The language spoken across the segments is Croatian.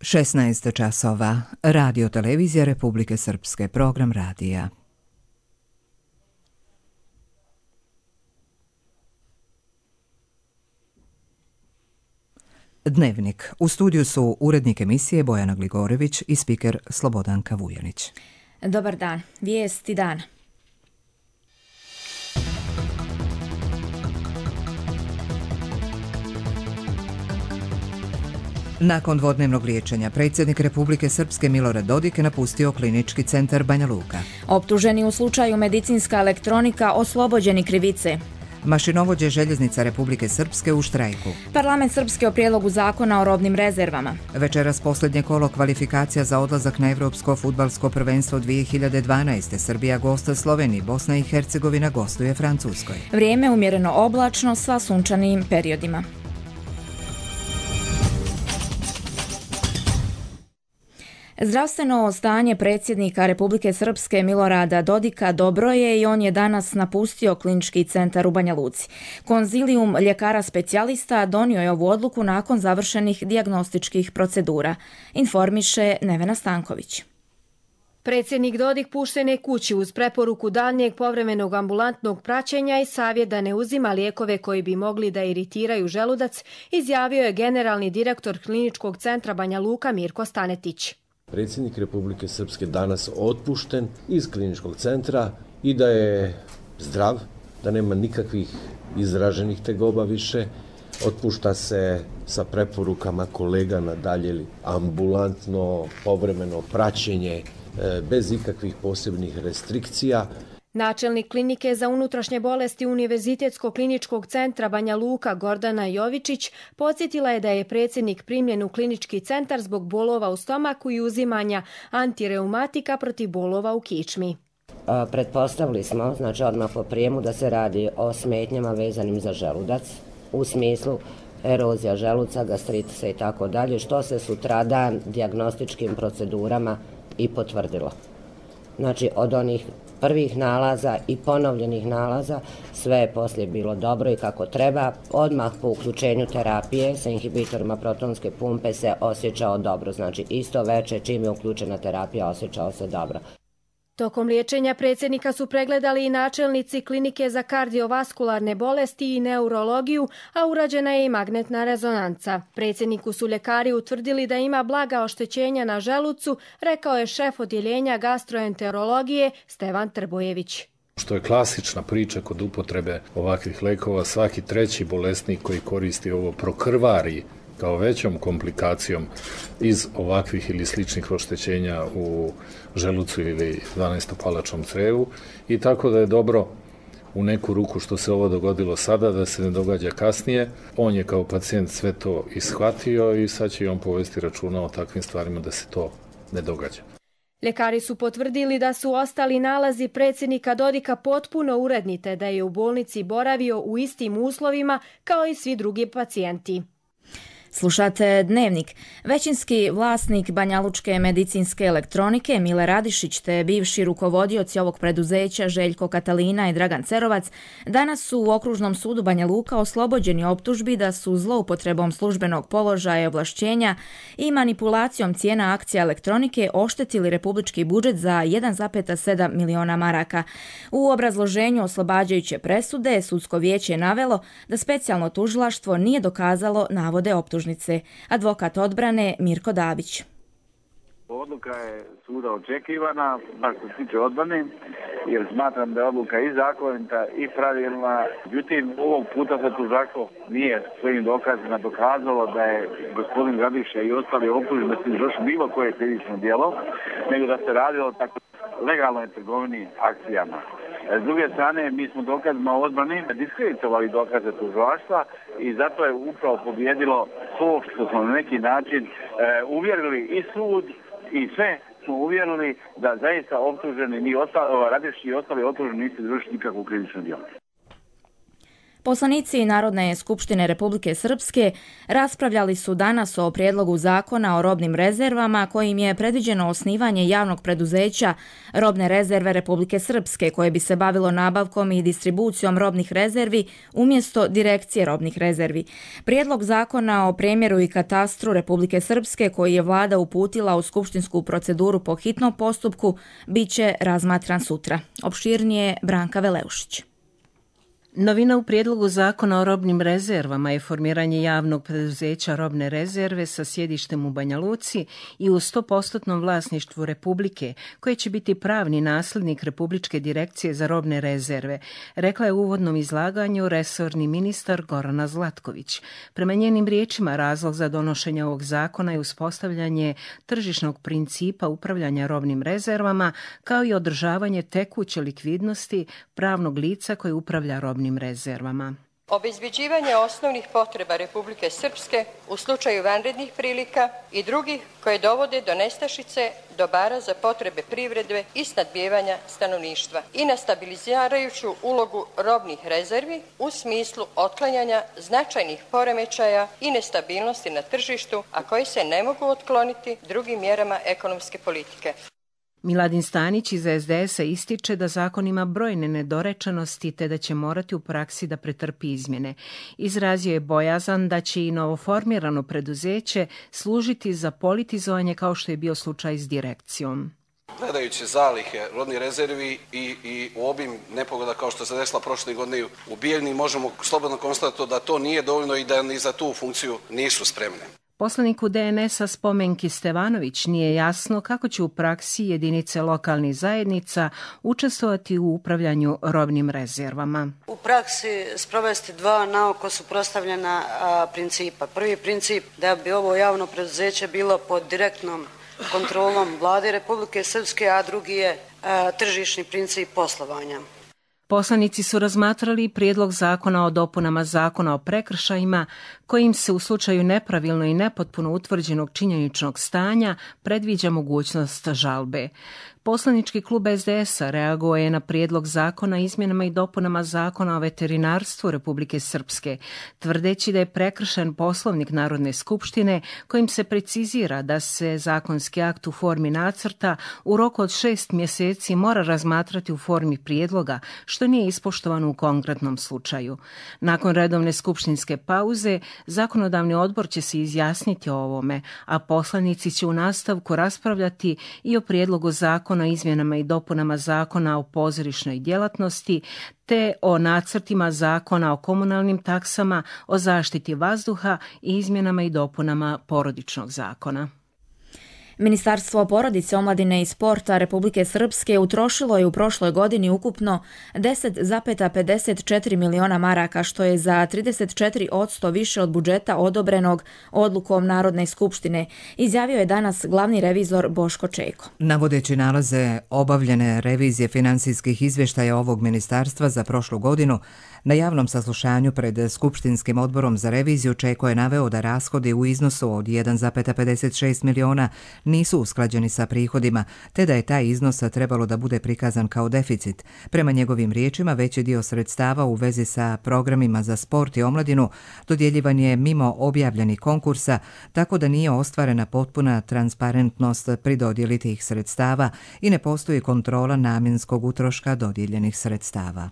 16 časova. Radio televizija Republike Srpske. Program radija. Dnevnik. U studiju su urednik emisije Bojana Gligorević i spiker Slobodanka Vujanić. Dobar dan. Vijesti dana. Nakon dvodnevnog liječenja, predsjednik Republike Srpske Milorad Dodik je napustio klinički centar Banja Luka. Optuženi u slučaju medicinska elektronika oslobođeni krivice. Mašinovođe željeznica Republike Srpske u štrajku. Parlament Srpske o prijedlogu zakona o robnim rezervama. Večeras posljednje kolo kvalifikacija za odlazak na Evropsko fudbalsko prvenstvo 2012. Srbija gosta Sloveniji, Bosna i Hercegovina gostuje Francuskoj. Vrijeme umjereno oblačno sa sunčanim periodima. Zdravstveno stanje predsjednika Republike Srpske Milorada Dodika dobro je i on je danas napustio klinički centar u Banja Luci. Konzilijum ljekara specijalista donio je ovu odluku nakon završenih dijagnostičkih procedura, informiše Nevena Stanković. Predsjednik Dodik pušten je kući uz preporuku daljnjeg povremenog ambulantnog praćenja i savjet da ne uzima lijekove koji bi mogli da iritiraju želudac, izjavio je generalni direktor kliničkog centra Banja Luka Mirko Stanetić. Predsjednik Republike Srpske danas otpušten iz kliničkog centra i da je zdrav, da nema nikakvih izraženih tegoba više. Otpušta se sa preporukama kolega na dalje ambulantno, povremeno praćenje bez ikakvih posebnih restrikcija. Načelnik klinike za unutrašnje bolesti Univerzitetskog kliničkog centra Banja Luka Gordana Jovičić podsjetila je da je predsjednik primljen u klinički centar zbog bolova u stomaku i uzimanja antireumatika protiv bolova u kičmi. Pretpostavili smo, odmah po prijemu, da se radi o smetnjama vezanim za želudac, u smislu erozija želuca, gastritisa i tako dalje, što se sutradan dijagnostičkim procedurama i potvrdilo. Od onih prvih nalaza i ponovljenih nalaza sve je poslije bilo dobro i kako treba. Odmah po uključenju terapije sa inhibitorima protonske pumpe se osjećao dobro. Isto veče čim je uključena terapija osjećao se dobro. Tokom liječenja predsjednika su pregledali i načelnici klinike za kardiovaskularne bolesti i neurologiju, a urađena je i magnetna rezonanca. Predsjedniku su ljekari utvrdili da ima blaga oštećenja na želucu, rekao je šef odjeljenja gastroenterologije Stevan Trbojević. Što je klasična priča kod upotrebe ovakvih lekova, svaki treći bolesnik koji koristi ovo prokrvari kao većom komplikacijom iz ovakvih ili sličnih oštećenja u želucu ili 12-palačnom crevu i tako da je dobro u neku ruku što se ovo dogodilo sada, da se ne događa kasnije. On je kao pacijent sve to ishvatio i sad će on povesti računa o takvim stvarima da se to ne događa. Ljekari su potvrdili da su ostali nalazi predsjednika Dodika potpuno uredni te da je u bolnici boravio u istim uslovima kao i svi drugi pacijenti. Slušate Dnevnik. Većinski vlasnik banjalučke medicinske elektronike Mile Radišić te bivši rukovodioci ovog preduzeća Željko Katalina i Dragan Cerovac danas su u Okružnom sudu Banja Luka oslobođeni optužbi da su zloupotrebom službenog položaja i ovlašćenja i manipulacijom cijena akcija elektronike oštetili republički budžet za 1,7 miliona maraka. U obrazloženju oslobađajuće presude sudsko vijeće je navelo da specijalno tužilaštvo nije dokazalo navode optužnice. Advokat odbrane Mirko Dabić. Odluka je suda očekivana, baš što se tiče odbrane, jer smatram da je odluka i zakonita i pravilna. Međutim, ovog puta se tužilaštvo nije svojim dokazima dokazalo da je gospodin Radiša i ostali optuženi da su izvršili bilo koje krivično djelo, nego da se radilo o tako legalnoj trgovini akcijama. S druge strane, mi smo dokazima odbrane diskreditovali dokaze tužilaštva i zato je upravo pobjedilo to što smo na neki način uvjerili i sud i sve smo uvjerili da zaista optuženi Radišić i ostali optuženi nisu izvršili nikakvu krivično djelo. Poslanici Narodne skupštine Republike Srpske raspravljali su danas o prijedlogu zakona o robnim rezervama kojim je predviđeno osnivanje javnog preduzeća Robne rezerve Republike Srpske koje bi se bavilo nabavkom i distribucijom robnih rezervi umjesto Direkcije robnih rezervi. Prijedlog zakona o premjeru i katastru Republike Srpske koji je vlada uputila u skupštinsku proceduru po hitnom postupku bit će razmatran sutra. Opširnije Branka Veleušić. Novina u prijedlogu zakona o robnim rezervama je formiranje javnog preduzeća robne rezerve sa sjedištem u Banja Luci i u 100% vlasništvu Republike, koje će biti pravni nasljednik Republičke direkcije za robne rezerve, rekla je u uvodnom izlaganju resorni ministar Gorana Zlatković. Prema njenim riječima, razlog za donošenje ovog zakona je uspostavljanje tržišnog principa upravljanja robnim rezervama, kao i održavanje tekuće likvidnosti pravnog lica koje upravlja robnim rezervama. Obezbeđivanje osnovnih potreba Republike Srpske u slučaju vanrednih prilika i drugih koje dovode do nestašice dobara za potrebe privrede i snabdijevanja stanovništva i na stabilizirajuću ulogu robnih rezervi u smislu otklanjanja značajnih poremećaja i nestabilnosti na tržištu, a koji se ne mogu otkloniti drugim mjerama ekonomske politike. Miladin Stanić iz SDS-a ističe da zakon ima brojne nedorečenosti te da će morati u praksi da pretrpi izmjene. Izrazio je bojazan da će i novoformirano preduzeće služiti za politizovanje kao što je bio slučaj s direkcijom. Gledajući zalihe robnih rezervi i u obim nepogoda kao što se desila prošle godine u Bijeljni, možemo slobodno konstatovati da to nije dovoljno i da ni za tu funkciju nisu spremne. Poslaniku DNS-a Spomenki Stevanović nije jasno kako će u praksi jedinice lokalnih zajednica učestvovati u upravljanju robnim rezervama. U praksi sprovesti dva naoko suprotstavljena principa. Prvi princip da bi ovo javno preduzeće bilo pod direktnom kontrolom Vlade Republike Srpske, a drugi je tržišni princip poslovanja. Poslanici su razmatrali prijedlog zakona o dopunama zakona o prekršajima kojim se u slučaju nepravilno i nepotpuno utvrđenog činjeničnog stanja predviđa mogućnost žalbe. Poslanički klub SDS-a reagovao je na prijedlog zakona o izmjenama i dopunama zakona o veterinarstvu Republike Srpske, tvrdeći da je prekršen Poslovnik Narodne skupštine kojim se precizira da se zakonski akt u formi nacrta u roku od 6 mjeseci mora razmatrati u formi prijedloga, što nije ispoštovano u konkretnom slučaju. Nakon redovne skupštinske pauze, zakonodavni odbor će se izjasniti o ovome, a poslanici će u nastavku raspravljati i o prijedlogu zakona o izmjenama i dopunama zakona o pozorišnoj djelatnosti, te o nacrtima zakona o komunalnim taksama, o zaštiti vazduha i izmjenama i dopunama porodičnog zakona. Ministarstvo porodice, omladine i sporta Republike Srpske utrošilo je u prošloj godini ukupno 10,54 miliona maraka, što je za 34% više od budžeta odobrenog odlukom Narodne skupštine, izjavio je danas glavni revizor Boško Čejko. Navodeći nalaze obavljene revizije finansijskih izvještaja ovog ministarstva za prošlu godinu, na javnom saslušanju pred Skupštinskim odborom za reviziju Čejko je naveo da rashodi u iznosu od 1,56 miliona nisu usklađeni sa prihodima, te da je taj iznos trebalo da bude prikazan kao deficit. Prema njegovim riječima, veći dio sredstava u vezi sa programima za sport i omladinu dodjeljivan je mimo objavljenih konkursa, tako da nije ostvarena potpuna transparentnost pri dodjeli tih sredstava i ne postoji kontrola namjenskog utroška dodijeljenih sredstava.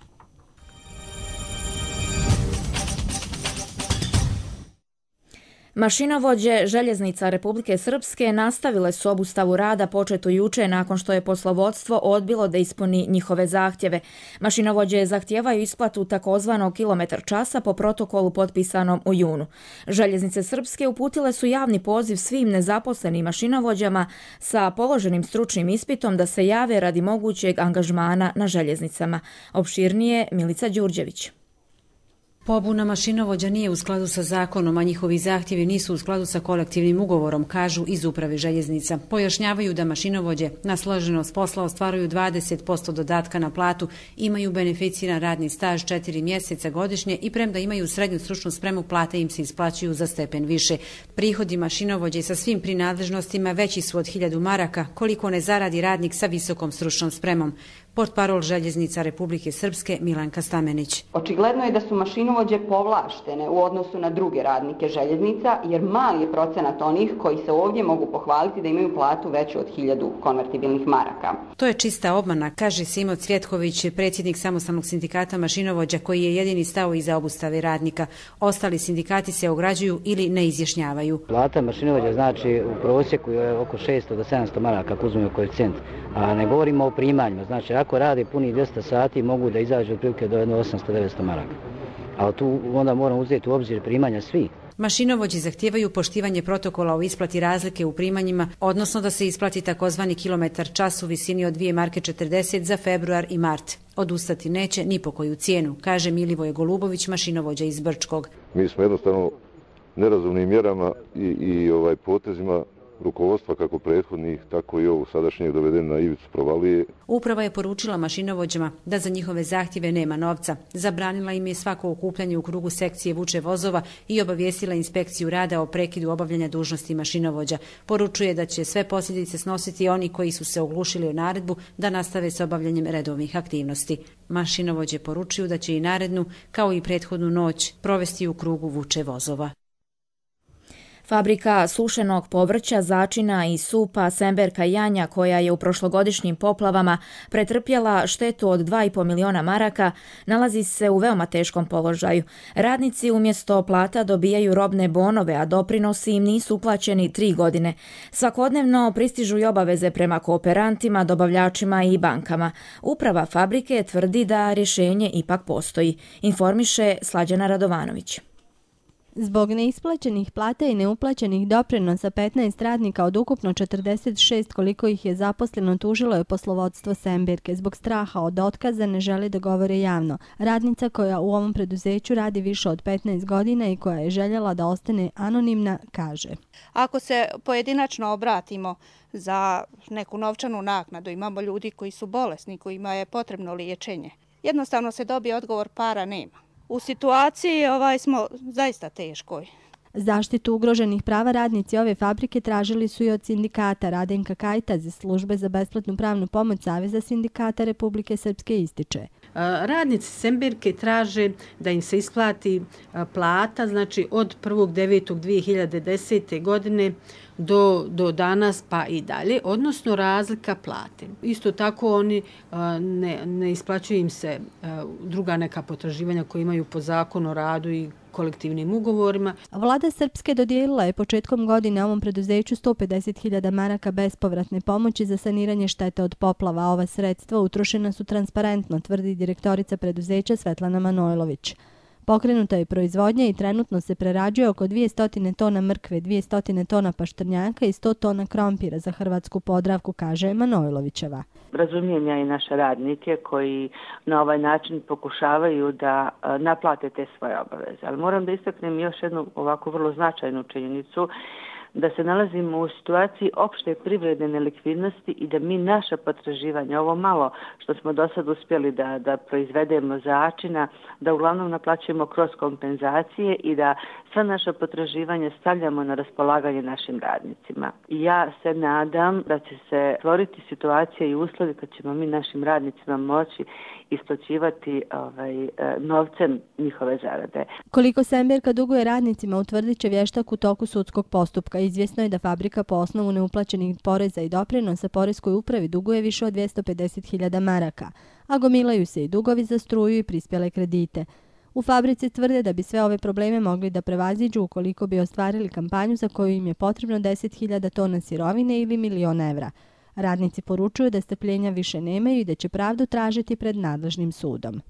Mašinovođe željeznica Republike Srpske nastavile su obustavu rada početu juče nakon što je poslovodstvo odbilo da ispuni njihove zahtjeve. Mašinovođe zahtijevaju isplatu takozvanog kilometar časa po protokolu potpisanom u junu. Željeznice Srpske uputile su javni poziv svim nezaposlenim mašinovođama sa položenim stručnim ispitom da se jave radi mogućeg angažmana na željeznicama. Opširnije Milica Đurđević. Pobuna mašinovođa nije u skladu sa zakonom, a njihovi zahtjevi nisu u skladu sa kolektivnim ugovorom, kažu iz uprave željeznica. Pojašnjavaju da mašinovođe na složenost posla ostvaruju 20% dodatka na platu, imaju beneficiran radni staž 4 mjeseca godišnje i premda imaju srednju stručnu spremu, plate im se isplaćuju za stepen više. Prihodi mašinovođe sa svim prinadležnostima veći su od 1000 maraka, koliko ne zaradi radnik sa visokom stručnom spremom. Portparol Željeznica Republike Srpske Milanka Stamenić. Očigledno je da su mašinovođe povlaštene u odnosu na druge radnike željeznica, jer mali je procenat onih koji se ovdje mogu pohvaliti da imaju platu veću od 1000 konvertibilnih maraka. To je čista obmana, kaže Simo Cvjetković, predsjednik samostalnog sindikata mašinovođa koji je jedini stao iza obustave radnika. Ostali sindikati se ograđuju ili ne izjašnjavaju. Plata mašinovođa znači u prosjeku je oko 600 do 700 maraka ako uzmemo koeficijent, a ne govorimo o primanjima. Znači ako rade puni 200 sati mogu da izađu otprilike do 800-900 maraka. Ali tu onda moramo uzeti u obzir primanja svi. Mašinovođi zahtijevaju poštivanje protokola o isplati razlike u primanjima, odnosno da se isplati takozvani kilometar čas u visini od 2 marke 40 za februar i mart. Odustati neće ni po koju cijenu, kaže Milivoje Golubović, mašinovođa iz Brčkog. Mi smo jednostavno nerazumnim mjerama i potezima rukovodstva kako prethodnih, tako i ovog sadašnjeg dovedeni na ivicu provalije. Uprava je poručila mašinovođama da za njihove zahtjeve nema novca. Zabranila im je svako okupljanje u krugu sekcije vuče vozova i obavijestila inspekciju rada o prekidu obavljanja dužnosti mašinovođa. Poručuje da će sve posljedice snositi oni koji su se oglušili o naredbu da nastave s obavljanjem redovnih aktivnosti. Mašinovođe poručuju da će i narednu, kao i prethodnu noć, provesti u krugu vuče vozova. Fabrika sušenog povrća, začina i supa Semberka Janja, koja je u prošlogodišnjim poplavama pretrpjela štetu od 2,5 miliona maraka, nalazi se u veoma teškom položaju. Radnici umjesto plata dobijaju robne bonove, a doprinosi im nisu uplaćeni 3 godine. Svakodnevno pristižu i obaveze prema kooperantima, dobavljačima i bankama. Uprava fabrike tvrdi da rješenje ipak postoji, informiše Slađana Radovanović. Zbog neisplaćenih plata i neuplaćenih doprinosa 15 radnika od ukupno 46 koliko ih je zaposleno tužilo je poslovodstvo Semberke. Zbog straha od otkaza ne žele da govore javno. Radnica koja u ovom preduzeću radi više od 15 godina i koja je željela da ostane anonimna, kaže: Ako se pojedinačno obratimo za neku novčanu naknadu, imamo ljudi koji su bolesni, kojima je potrebno liječenje. Jednostavno se dobije odgovor para nema. U situaciji smo zaista teškoj. Zaštitu ugroženih prava radnici ove fabrike tražili su i od sindikata. Radenka Kajtaz iz službe za besplatnu pravnu pomoć Saveza sindikata Republike Srpske ističe: Radnici Semberke traže da im se isplati plata, znači od 1.9.2010. godine do danas pa i dalje, odnosno razlika plate. Isto tako oni ne isplaćuju im se druga neka potraživanja koje imaju po zakonu o radu i kolektivnim ugovorima. Vlada Srpske dodijelila je početkom godine ovom preduzeću 150.000 maraka bespovratne pomoći za saniranje štete od poplava. Ova sredstva utrošena su transparentno, tvrdi direktorica preduzeća Svetlana Manojlović. Pokrenuta je proizvodnja i trenutno se prerađuje oko 200 tona mrkve, 200 tona paštrnjaka i 100 tona krompira za Hrvatsku Podravku, kaže Manojlovićeva. Razumijem i naše radnike koji na ovaj način pokušavaju da naplate te svoje obaveze. Ali moram da istaknem još jednu ovako vrlo značajnu činjenicu, da se nalazimo u situaciji opšte privredne nelikvidnosti i da mi naša potraživanja, ovo malo što smo do sad uspjeli da proizvedemo začina, da uglavnom naplaćujemo kroz kompenzacije i da sva naša potraživanja stavljamo na raspolaganje našim radnicima. I ja se nadam da će se stvoriti situacija i uslovi kad ćemo mi našim radnicima moći isplaćivati novcem njihove zarade. Koliko Semberka duguje radnicima utvrdit će vještak u toku sudskog postupka. Izvjesno je da fabrika po osnovu neuplaćenih poreza i doprinosa poreskoj upravi duguje više od 250.000 maraka, a gomilaju se i dugovi za struju i prispjele kredite. U fabrici tvrde da bi sve ove probleme mogli da prevaziđu ukoliko bi ostvarili kampanju za koju im je potrebno 10.000 tona sirovine ili 1.000.000 evra. Radnici poručuju da strpljenja više nemaju i da će pravdu tražiti pred nadležnim sudom.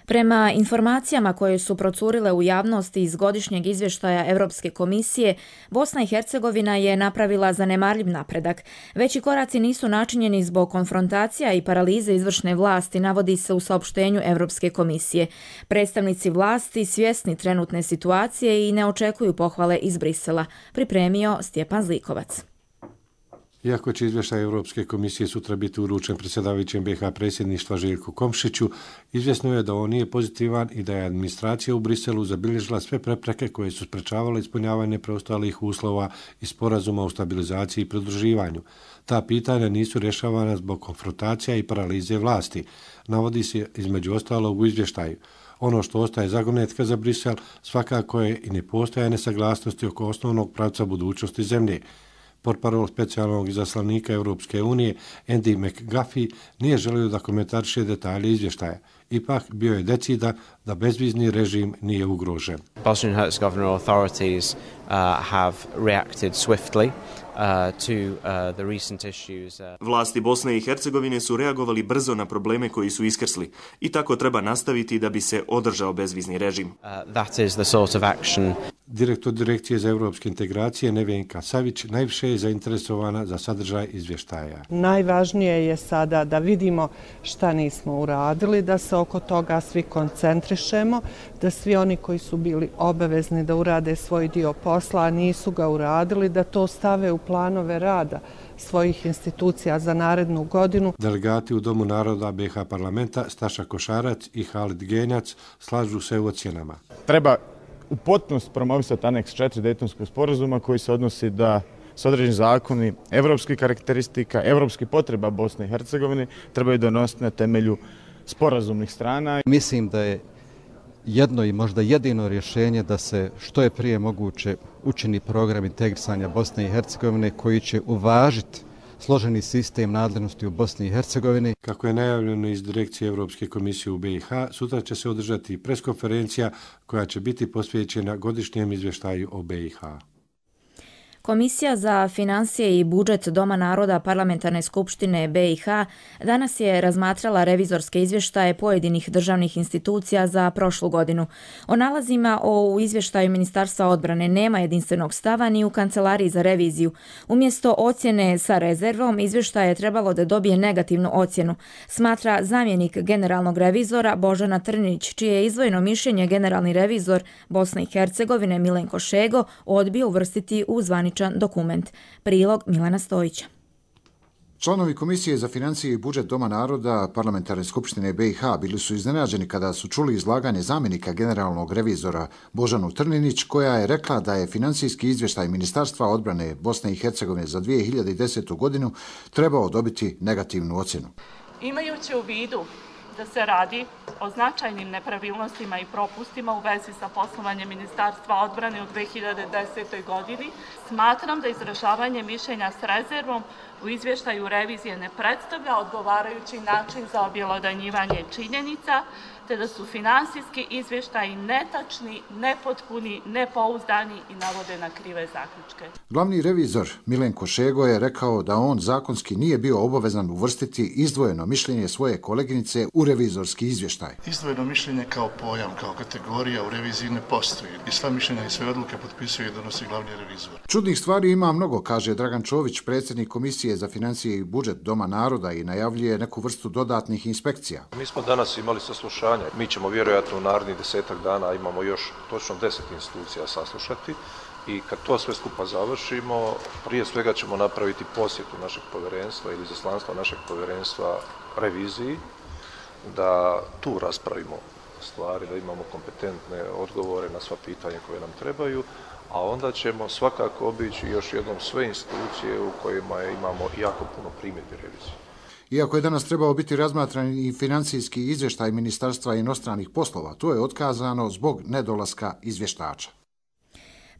Prema informacijama koje su procurile u javnosti iz godišnjeg izvještaja Europske komisije, Bosna i Hercegovina je napravila zanemarljiv napredak. Veći koraci nisu načinjeni zbog konfrontacija i paralize izvršne vlasti, navodi se u saopštenju Europske komisije. Predstavnici vlasti svjesni trenutne situacije i ne očekuju pohvale iz Brisela, pripremio Stjepan Zlikovac. Iako će izvještaj Europske komisije sutra biti uručen predsjedavajućem BiH predsjedništva Željku Komšiću, izvjesno je da on nije pozitivan i da je administracija u Briselu zabilježila sve prepreke koje su sprečavale ispunjavanje preostalih uslova i sporazuma o stabilizaciji i pridruživanju. Ta pitanja nisu rješavana zbog konfrontacija i paralize vlasti, navodi se između ostalog u izvještaju. Ono što ostaje zagonetka za Brisel svakako je i nepostojanje nesaglasnosti oko osnovnog pravca budućnosti zemlje. Portparol specijalnog izaslanika Europske unije Andy McGuffey nije želio da komentariše detalje izvještaja. Ipak bio je decidan da bezvizni režim nije ugrožen. Bosnia and Herzegovina authorities have reacted swiftly to the recent issues. Vlasti Bosne i Hercegovine su reagovali brzo na probleme koji su iskrsli i tako treba nastaviti da bi se održao bezvizni režim. That is the sort of action. Direktor Direkcije za europske integracije Nevenka Savić najviše je zainteresovana za sadržaj izvještaja. Najvažnije je sada da vidimo šta nismo uradili, da se oko toga svi koncentrišemo, da svi oni koji su bili obavezni da urade svoj dio posla, a nisu ga uradili, da to stave u planove rada svojih institucija za narednu godinu. Delegati u Domu naroda BiH parlamenta Staša Košarac i Halid Genjac slažu se u ocjenama. Treba u potpunosti promovisati aneks 4 Dejtonskog sporazuma koji se odnosi da s određeni zakoni evropskih karakteristika, evropskih potreba Bosne i Hercegovine trebaju donositi na temelju sporazumnih strana. Mislim da je jedno i možda jedino rješenje da se što je prije moguće učini program integrisanja Bosne i Hercegovine koji će uvažiti složeni sistem nadležnosti u Bosni i Hercegovini. Kako je najavljeno iz Direkcije Europske komisije u BiH, sutra će se održati preskonferencija koja će biti posvećena godišnjem izvještaju o BiH. Komisija za financije i budžet Doma naroda Parlamentarne skupštine BiH danas je razmatrala revizorske izvještaje pojedinih državnih institucija za prošlu godinu. O nalazima u izvještaju Ministarstva odbrane nema jedinstvenog stava ni u Kancelariji za reviziju. Umjesto ocjene sa rezervom, izvještaj je trebalo da dobije negativnu ocjenu, smatra zamjenik generalnog revizora Božana Trnić, čije je izdvojeno mišljenje generalni revizor Bosne i Hercegovine Milenko Šego odbio uvrstiti u zvaničan dokument. Prilog Milana Stojića. Članovi Komisije za financije i budžet Doma naroda Parlamentarne skupštine BiH bili su iznenađeni kada su čuli izlaganje zamjenika generalnog revizora Božanu Trninić, koja je rekla da je financijski izvještaj Ministarstva odbrane Bosne i Hercegovine za 2010. godinu trebao dobiti negativnu ocjenu. Imajući u vidu da se radi o značajnim nepravilnostima i propustima u vezi sa poslovanjem Ministarstva odbrane u 2010. godini, smatram da izražavanje mišljenja s rezervom u izvještaju revizije ne predstavlja odgovarajući način za objelodanjivanje činjenica, te da su finansijski izvještaji netačni, nepotpuni, nepouzdani i navode na krive zaključke. Glavni revizor Milenko Šego je rekao da on zakonski nije bio obavezan uvrstiti izdvojeno mišljenje svoje koleginice u revizorski izvještaj. Izdvojeno mišljenje kao pojam, kao kategorija u reviziji ne postoji i sva mišljenja i sve odluke potpisuje i donosi glavni revizor. Čudnih stvari ima mnogo, kaže Dragan Čović, predsjednik Komisije za financije i budžet Doma naroda, i najavljuje neku vrstu dodatnih inspekcija. Mi smo danas imali saslušanje. Mi ćemo vjerojatno u narednih 10 dana, imamo još točno 10 institucija saslušati, i kad to sve skupa završimo, prije svega ćemo napraviti posjetu našeg povjerenstva ili izaslanstva našeg povjerenstva reviziji, da tu raspravimo stvari, da imamo kompetentne odgovore na sva pitanja koje nam trebaju, a onda ćemo svakako obići još jednom sve institucije u kojima imamo jako puno primjedbi revizije. Iako je danas trebao biti razmatran i financijski izvještaj Ministarstva inostranih poslova, to je otkazano zbog nedolaska izvještača.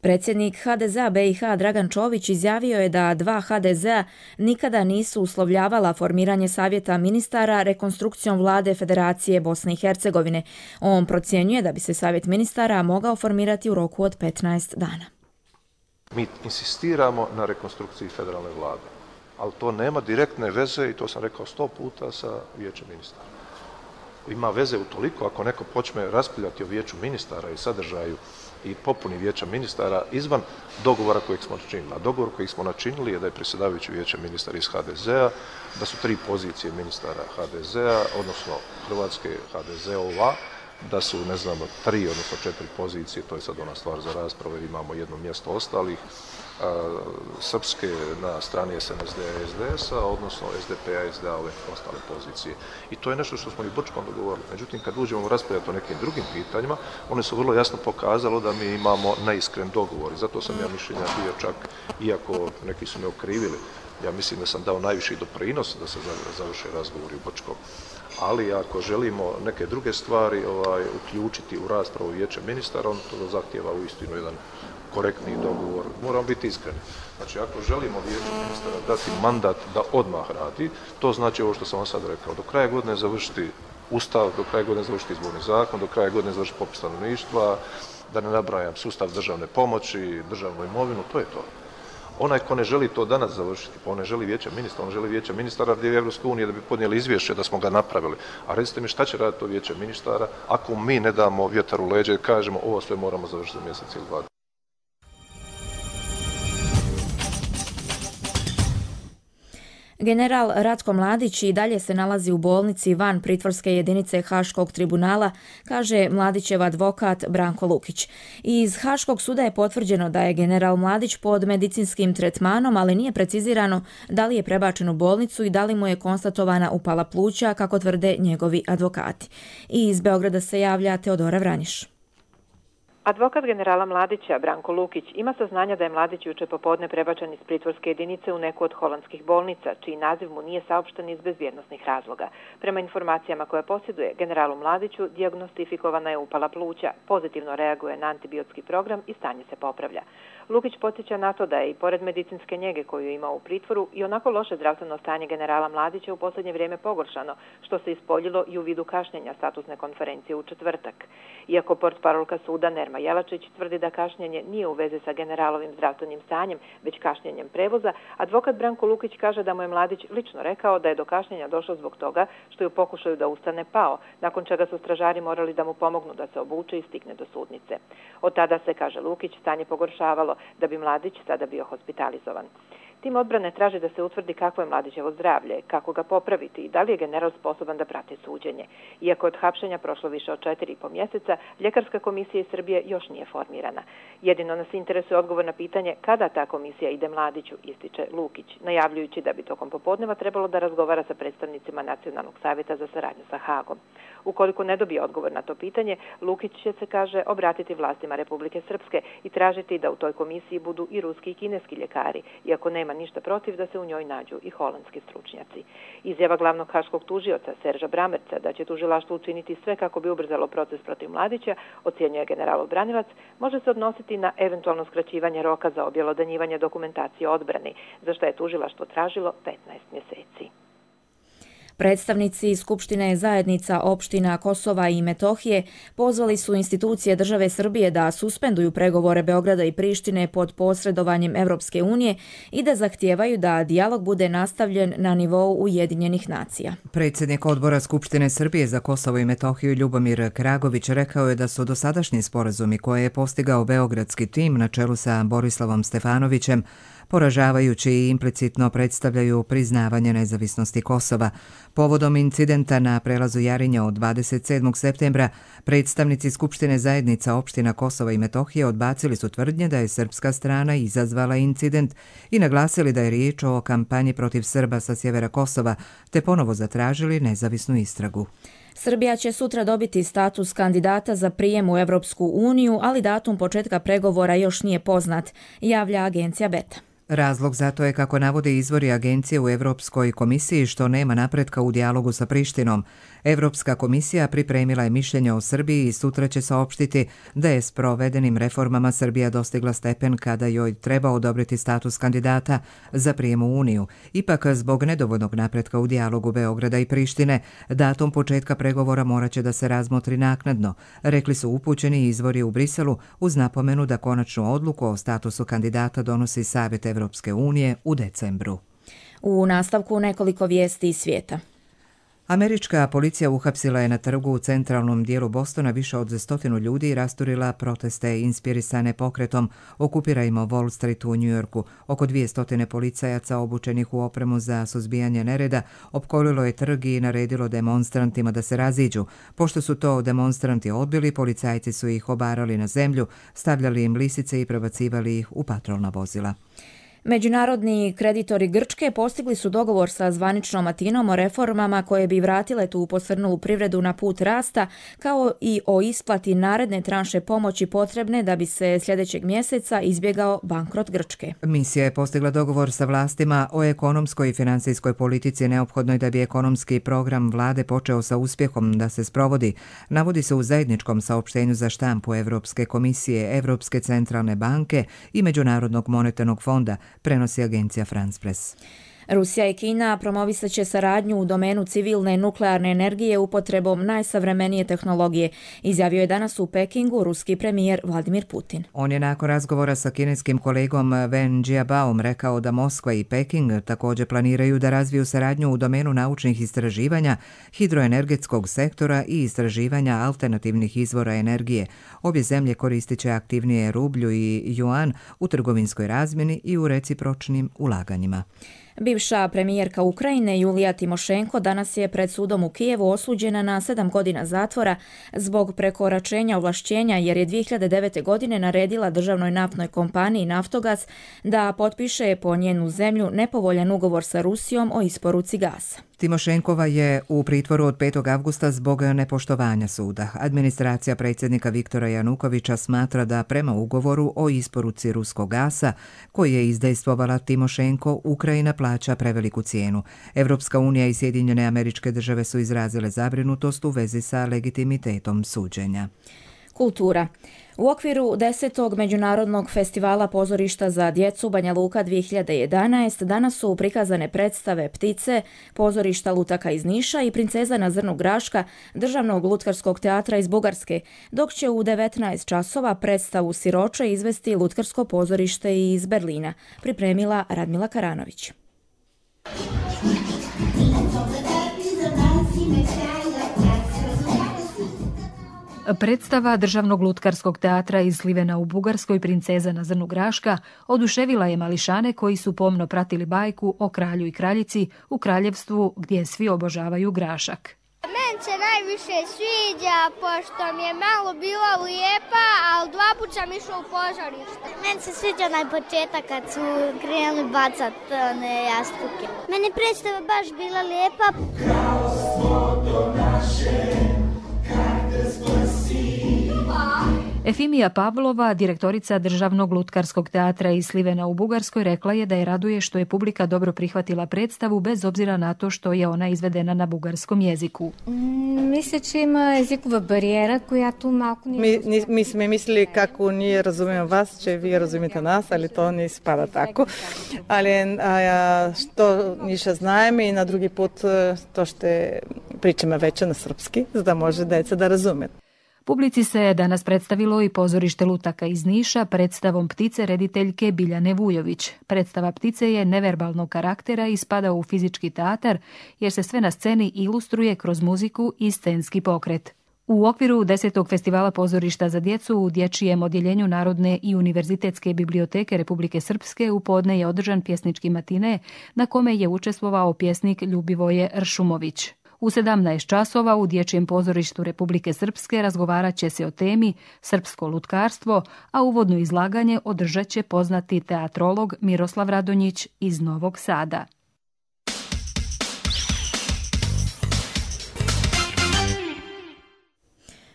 Predsjednik HDZ-a BiH Dragan Čović izjavio je da dva HDZ-a nikada nisu uslovljavala formiranje savjeta ministara rekonstrukcijom vlade Federacije Bosne i Hercegovine. On procjenjuje da bi se savjet ministara mogao formirati u roku od 15 dana. Mi insistiramo na rekonstrukciji federalne vlade, ali to nema direktne veze, i to sam rekao 100 puta, sa vijećem ministara. Ima veze utoliko ako neko počne raspravljati o vijeću ministara i sadržaju i popuni vijeća ministara izvan dogovora kojeg smo načinili. A dogovor kojeg smo načinili je da je predsjedavajući vijeća ministara iz HDZ-a, da su 3 pozicije ministara HDZ-a, odnosno Hrvatske HDZ-ova da su, ne znam, 3 odnosno 4 pozicije, to je sad ona stvar za raspravu jer imamo jedno mjesto ostalih, srpske na strani SNSD-a i SDS-a, odnosno SDP-a i SDA ove ostale pozicije. I to je nešto što smo i Brčkom dogovorili. Međutim, kad uđemo raspravljati o nekim drugim pitanjima, one su vrlo jasno pokazalo da mi imamo neiskren dogovor. I zato sam ja mišljenja bio čak, iako neki su me okrivili, ja mislim da sam dao najviši doprinos da se završe razgovori u Brčkom. Ali ako želimo neke druge stvari uključiti u raspravu Vijeća ministara, on to zahtijeva uistinu jedan korektni dogovor. Moramo biti iskreni. Znači, ako želimo Vijeću ministara dati mandat da odmah radi, to znači ovo što sam vam sad rekao. Do kraja godine završiti Ustav, do kraja godine završiti izborni zakon, do kraja godine završiti popis stanovništva, da ne nabrajam sustav državne pomoći, državnu imovinu, to je to. Onaj ko ne želi to danas završiti, pa on ne želi Vijeća ministara, on želi Vijeća ministara gdje je Evropska unija da bi podnijeli izvješće da smo ga napravili. A recite mi šta će raditi to Vijeće ministara ako mi ne damo vjetar u leđe i kažemo ovo sve moramo završiti za mjesec ili 2. General Ratko Mladić i dalje se nalazi u bolnici van pritvorske jedinice Haškog tribunala, kaže Mladićev advokat Branko Lukić. Iz Haškog suda je potvrđeno da je general Mladić pod medicinskim tretmanom, ali nije precizirano da li je prebačen u bolnicu i da li mu je konstatovana upala pluća, kako tvrde njegovi advokati. I iz Beograda se javlja Teodora Vranjiš. Advokat generala Mladića, Branko Lukić, ima saznanja da je Mladić juče popodne prebačen iz pritvorske jedinice u neku od holandskih bolnica, čiji naziv mu nije saopšten iz bezbjednosnih razloga. Prema informacijama koje posjeduje, generalu Mladiću dijagnostifikovana je upala pluća, pozitivno reaguje na antibiotski program i stanje se popravlja. Lukić podsjeća na to da je i pored medicinske njege koju je imao u pritvoru i onako loše zdravstveno stanje generala Mladića u posljednje vrijeme pogoršano, što se ispoljilo i u vidu kašnjenja statusne konferencije u četvrtak. Iako portparolka suda Nerma Jelačić tvrdi da kašnjenje nije u vezi sa generalovim zdravstvenim stanjem, već kašnjenjem prevoza, advokat Branko Lukić kaže da mu je Mladić lično rekao da je do kašnjenja došlo zbog toga što je u pokušaju da ustane pao, nakon čega su stražari morali da mu pomognu da se obuče i stigne do sudnice. Od tada se, kaže Lukić, stanje pogoršavalo, da bi Mladić sada bio hospitalizovan. Tim odbrane traži da se utvrdi kako je Mladićevo zdravlje, kako ga popraviti i da li je general sposoban da prati suđenje. Iako je od hapšenja prošlo više od 4,5 mjeseca, ljekarska komisija iz Srbije još nije formirana. Jedino nas interesuje odgovor na pitanje kada ta komisija ide Mladiću, ističe Lukić, najavljujući da bi tokom popodneva trebalo da razgovara sa predstavnicima Nacionalnog savjeta za saradnju sa Hagom. Ukoliko ne dobije odgovor na to pitanje, Lukić će se, kaže, obratiti vlastima Republike Srpske i tražiti da u toj komisiji budu i ruski i kineski ljekari, iako nema ništa protiv da se u njoj nađu i holandski stručnjaci. Izjava glavnog haškog tužioca Serža Bramerca da će tužilaštvo učiniti sve kako bi ubrzalo proces protiv Mladića, ocjenjuje generalov branilac, može se odnositi na eventualno skraćivanje roka za objelodanjivanje dokumentacije o odbrani, za što je tužilaštvo tražilo 15 mjeseci. Predstavnici Skupštine zajednica opština Kosova i Metohije pozvali su institucije države Srbije da suspenduju pregovore Beograda i Prištine pod posredovanjem Evropske unije i da zahtijevaju da dijalog bude nastavljen na nivou Ujedinjenih nacija. Predsjednik odbora Skupštine Srbije za Kosovo i Metohiju Ljubomir Kragović rekao je da su dosadašnji sporazumi koje je postigao beogradski tim na čelu sa Borislavom Stefanovićem poražavajući i implicitno predstavljaju priznavanje nezavisnosti Kosova. Povodom incidenta na prelazu Jarinja od 27. septembra, predstavnici Skupštine zajednica opština Kosova i Metohije odbacili su tvrdnje da je srpska strana izazvala incident i naglasili da je riječ o kampanji protiv Srba sa sjevera Kosova, te ponovo zatražili nezavisnu istragu. Srbija će sutra dobiti status kandidata za prijem u Evropsku uniju, ali datum početka pregovora još nije poznat, javlja agencija Beta. Razlog za to je, kako navode izvori agencije u Evropskoj komisiji, što nema napretka u dijalogu sa Prištinom. Evropska komisija pripremila je mišljenje o Srbiji i sutra će saopštiti da je s provedenim reformama Srbija dostigla stepen kada joj treba odobriti status kandidata za prijem u Uniju. Ipak, zbog nedovoljnog napretka u dijalogu Beograda i Prištine, datum početka pregovora morat će da se razmotri naknadno, rekli su upućeni izvori u Briselu, uz napomenu da konačnu odluku o statusu kandidata donosi Savjet Evropske unije u decembru. U nastavku nekoliko vijesti iz svijeta. Američka policija uhapsila je na trgu u centralnom dijelu Bostona više od 100 ljudi i rasturila proteste inspirisane pokretom Okupirajmo Wall Street u Njujorku. Oko 200 policajaca obučenih u opremu za suzbijanje nereda opkolilo je trg i naredilo demonstrantima da se raziđu. Pošto su to demonstranti odbili, policajci su ih obarali na zemlju, stavljali im lisice i prebacivali ih u patrolna vozila. Međunarodni kreditori Grčke postigli su dogovor sa zvaničnom Atinom o reformama koje bi vratile tu posrnulu privredu na put rasta, kao i o isplati naredne tranše pomoći potrebne da bi se sljedećeg mjeseca izbjegao bankrot Grčke. Misija je postigla dogovor sa vlastima o ekonomskoj i financijskoj politici neophodnoj da bi ekonomski program vlade počeo sa uspjehom da se sprovodi. Navodi se u zajedničkom saopštenju za štampu Evropske komisije, Evropske centralne banke i Međunarodnog monetarnog fonda, prenosi agencija France Press. Rusija i Kina promovisat će saradnju u domenu civilne nuklearne energije upotrebom najsavremenije tehnologije, izjavio je danas u Pekingu ruski premijer Vladimir Putin. On je nakon razgovora sa kineskim kolegom Wen Jiabaom rekao da Moskva i Peking također planiraju da razviju saradnju u domenu naučnih istraživanja, hidroenergetskog sektora i istraživanja alternativnih izvora energije. Obje zemlje koristit će aktivnije rublju i juan u trgovinskoj razmjeni i u recipročnim ulaganjima. Bivša premijerka Ukrajine Julija Timošenko danas je pred sudom u Kijevu osuđena na 7 godina zatvora zbog prekoračenja ovlašćenja jer je 2009. godine naredila državnoj naftnoj kompaniji Naftogaz da potpiše po njenu zemlju nepovoljan ugovor sa Rusijom o isporuci gasa. Timošenkova je u pritvoru od 5. avgusta zbog nepoštovanja suda. Administracija predsjednika Viktora Janukovića smatra da prema ugovoru o isporuci ruskog gasa, koji je izdejstvovala Timošenko, Ukrajina plaća preveliku cijenu. Evropska unija i Sjedinjene Američke Države su izrazile zabrinutost u vezi sa legitimitetom suđenja. Kultura. U okviru 10. Međunarodnog festivala pozorišta za djecu Banja Luka 2011 danas su prikazane predstave Ptice, pozorišta Lutaka iz Niša i Princeza na zrnu graška Državnog lutkarskog teatra iz Bugarske, dok će u 19 časova predstavu Siroče izvesti Lutkarsko pozorište iz Berlina, pripremila Radmila Karanović. Predstava Državnog lutkarskog teatra iz Slivena u Bugarskoj Princeza na zrnu graška oduševila je mališane koji su pomno pratili bajku o kralju i kraljici u kraljevstvu gdje svi obožavaju grašak. Meni se najviše sviđa pošto mi je malo bila lijepa, ali 2 puta sam išla u pozorište. Meni se sviđa najpočetak kad su krenuli bacat one jastuke. Meni predstava baš bila lijepa. Kralstvo do naše, Efimija Pavlova, direktorica Državnog lutkarskog teatra iz Slivena u Bugarskoj, rekla je da je raduje što je publika dobro prihvatila predstavu bez obzira na to što je ona izvedena na bugarskom jeziku. Мисля, че има езикова бариера, която малко ни... Mi smo mislili kako nije razumijemo vas, че вие разумите нас, ali to ne ispada tako. Ali što niša знаем i na drugi put to što pričamo već na srpski, da može deca da razume. Publici se danas predstavilo i pozorište Lutaka iz Niša predstavom Ptice rediteljke Biljane Vujović. Predstava Ptice je neverbalnog karaktera i spada u fizički teatar jer se sve na sceni ilustruje kroz muziku i scenski pokret. U okviru 10. festivala pozorišta za djecu u dječjem odjeljenju Narodne i univerzitetske biblioteke Republike Srpske u podne je održan pjesnički matine na kome je učestvovao pjesnik Ljubivoje Ršumović. U 17 časova u Dječjem pozorištu Republike Srpske razgovarat će se o temi Srpsko lutkarstvo, a uvodno izlaganje održat će poznati teatrolog Miroslav Radonjić iz Novog Sada.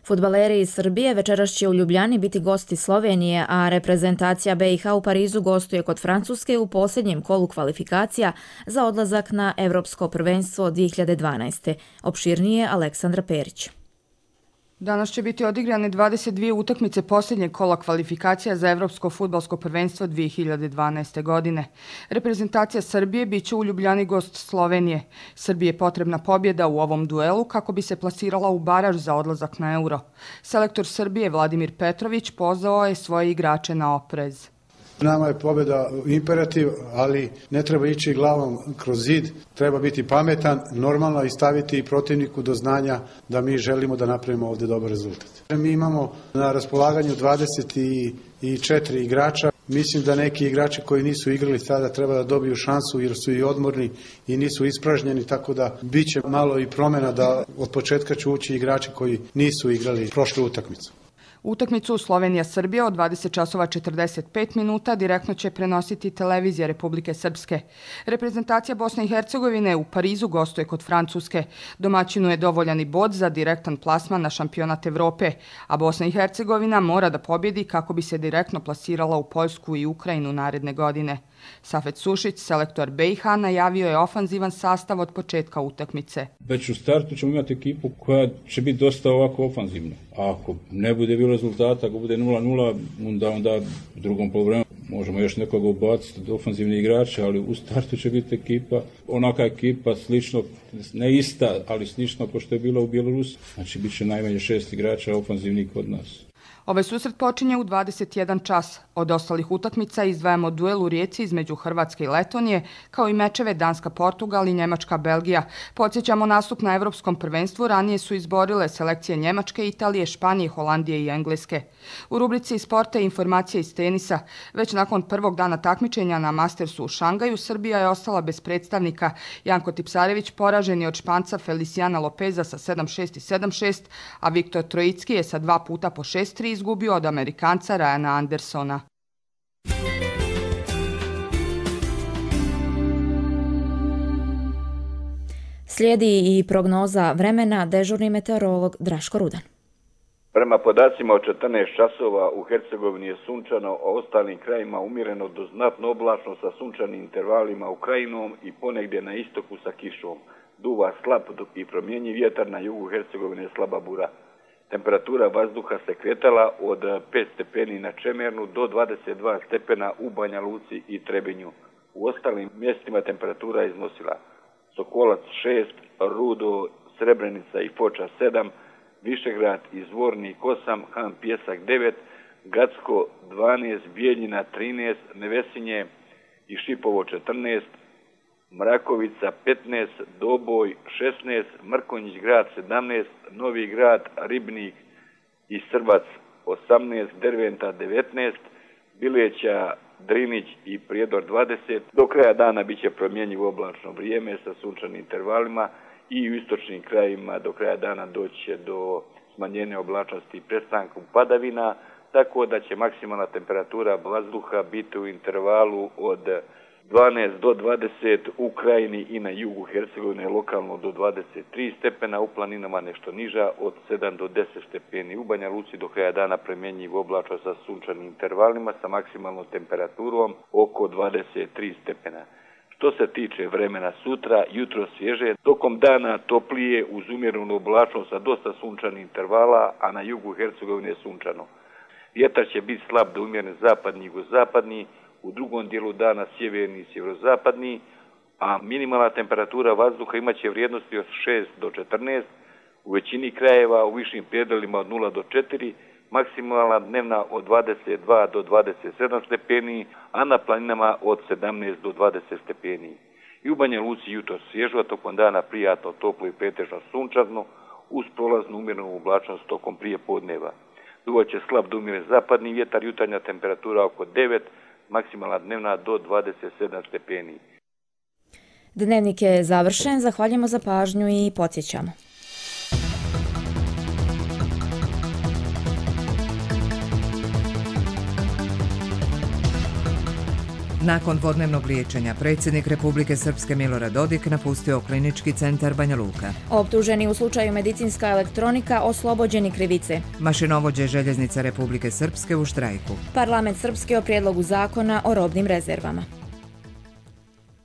Fudbaleri iz Srbije večeras će u Ljubljani biti gosti Slovenije, a reprezentacija BiH u Parizu gostuje kod Francuske u posljednjem kolu kvalifikacija za odlazak na Evropsko prvenstvo 2012. Opširnije Aleksandra Perić. Danas će biti odigrane 22 utakmice posljednjeg kola kvalifikacija za Evropsko fudbalsko prvenstvo 2012. godine. Reprezentacija Srbije bit će u Ljubljani gost Slovenije. Srbiji je potrebna pobjeda u ovom duelu kako bi se plasirala u baraž za odlazak na Euro. Selektor Srbije Vladimir Petrović pozvao je svoje igrače na oprez. Nama je pobjeda imperativ, ali ne treba ići glavom kroz zid, treba biti pametan, normalno i staviti protivniku do znanja da mi želimo da napravimo ovdje dobar rezultat. Mi imamo na raspolaganju 24 igrača. Mislim da neki igrači koji nisu igrali sada treba da dobiju šansu jer su i odmorni i nisu ispražnjeni, tako da bit će malo i promjena da od početka će ući igrači koji nisu igrali prošlu utakmicu. Utakmicu Slovenija-Srbija od 20:45 minuta direktno će prenositi televizija Republike Srpske. Reprezentacija Bosne i Hercegovine u Parizu gostuje kod Francuske. Domaćinu je dovoljan i bod za direktan plasman na šampionat Evrope, a Bosna i Hercegovina mora da pobjedi kako bi se direktno plasirala u Poljsku i Ukrajinu naredne godine. Safet Sušić, selektor BiH, najavio je ofanzivan sastav od početka utakmice. Već u startu ćemo imati ekipu koja će biti dosta ovako ofanzivna. A ako ne bude bilo rezultata, ako bude 0-0, onda u drugom poluvremenu možemo još nekoga ubaciti od ofanzivnih igrača, ali u startu će biti ekipa, onaka ekipa slično, ne ista, ali slično kao što je bila u Bjelorusiji. Znači, bit će najmanje 6 igrača ofanzivnih kod nas. Ovaj susret počinje u 21 čas. Od ostalih utakmica izdvajamo duel u Rijeci između Hrvatske i Letonije, kao i mečeve Danska-Portugal i Njemačka-Belgija. Podsjećamo, nastup na Evropskom prvenstvu ranije su izborile selekcije Njemačke, Italije, Španije, Holandije i Engleske. U rubrici Sporta i informacije iz tenisa, već nakon prvog dana takmičenja na Mastersu u Šangaju, Srbija je ostala bez predstavnika. Janko Tipsarević poražen je od Španca Feliciana Lopeza sa 7-6 i 7-6, a Viktor Trojicki je sa 2 puta po 6-3 izgubio od Amerikanca Ryana Andersona. Slijedi i prognoza vremena, dežurni meteorolog Draško Rudan. Prema podacima od 14 časova u Hercegovini je sunčano, a ostalim krajima umjereno do znatno oblačno sa sunčanim intervalima u Krajinom i ponegdje na istoku sa kišom. Duva slab i promjenjiv vjetar, na jugu Hercegovine slaba bura. Temperatura vazduha se kretala od 5 stepeni na Čemernu do 22 stepena u Banja Luci i Trebinju. U ostalim mjestima temperatura je iznosila Sokolac 6, Rudo, Srebrenica i Foča 7, Višegrad i Zvornik 8, Han Pjesak 9, Gacko 12, Bijeljina 13, Nevesinje i Šipovo 14, Mrakovica 15, Doboj 16, Mrkonjić grad 17, Novi grad, Ribnik i Srbac 18, Derventa 19, Bileća, Drinić i Prijedor 20. Do kraja dana bit će promjenjivo oblačno vrijeme sa sunčanim intervalima i u istočnim krajima do kraja dana doći do smanjenja oblačnosti i prestanku padavina, tako da će maksimalna temperatura vazduha biti u intervalu od 12 do 20 u Krajini i na jugu Hercegovine, lokalno do 23 stepena, u planinama nešto niža od 7 do 10 stepeni. U Banja Luci do kraja dana promjenjiv oblačno sa sunčanim intervalima sa maksimalnom temperaturom oko 23 stepena. Što se tiče vremena sutra, jutro svježe, tokom dana toplije uz umjerenu oblačnost sa dosta sunčanih intervala, a na jugu Hercegovine sunčano. Vjetar će biti slab do umjeren zapadni i jugozapadni, u drugom dijelu dana sjeverni i sjeverozapadni, a minimalna temperatura vazduha imaće vrijednosti od 6 do 14, u većini krajeva u višim predelima od 0 do 4, maksimalna dnevna od 22 do 27 stepeni, a na planinama od 17 do 20 stepeni. I u Banja Luci jutro svježo, a tokom dana prijatno, toplo i pretežno sunčano, uz prolaznu umjerenu oblačnost tokom prije podneva. Duvaće slab do umjeren zapadni vjetar, jutarnja temperatura oko 9, maksimalna dnevna do 27 stepeni. Dnevnik je završen, zahvaljujemo za pažnju i podsjećamo. Nakon dvodnevnog liječenja, predsjednik Republike Srpske Milorad Dodik napustio Klinički centar Banja Luka. Optuženi u slučaju medicinska elektronika oslobođeni krivice. Mašinovođe Željeznica Republike Srpske u štrajku. Parlament Srpske o prijedlogu zakona o robnim rezervama.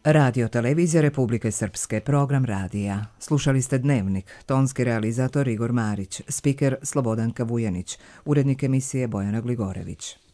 Radio Televizija Republike Srpske, program radija. Slušali ste Dnevnik, tonski realizator Igor Marić, spiker Slobodanka Vujanić, urednik emisije Bojana Gligorević.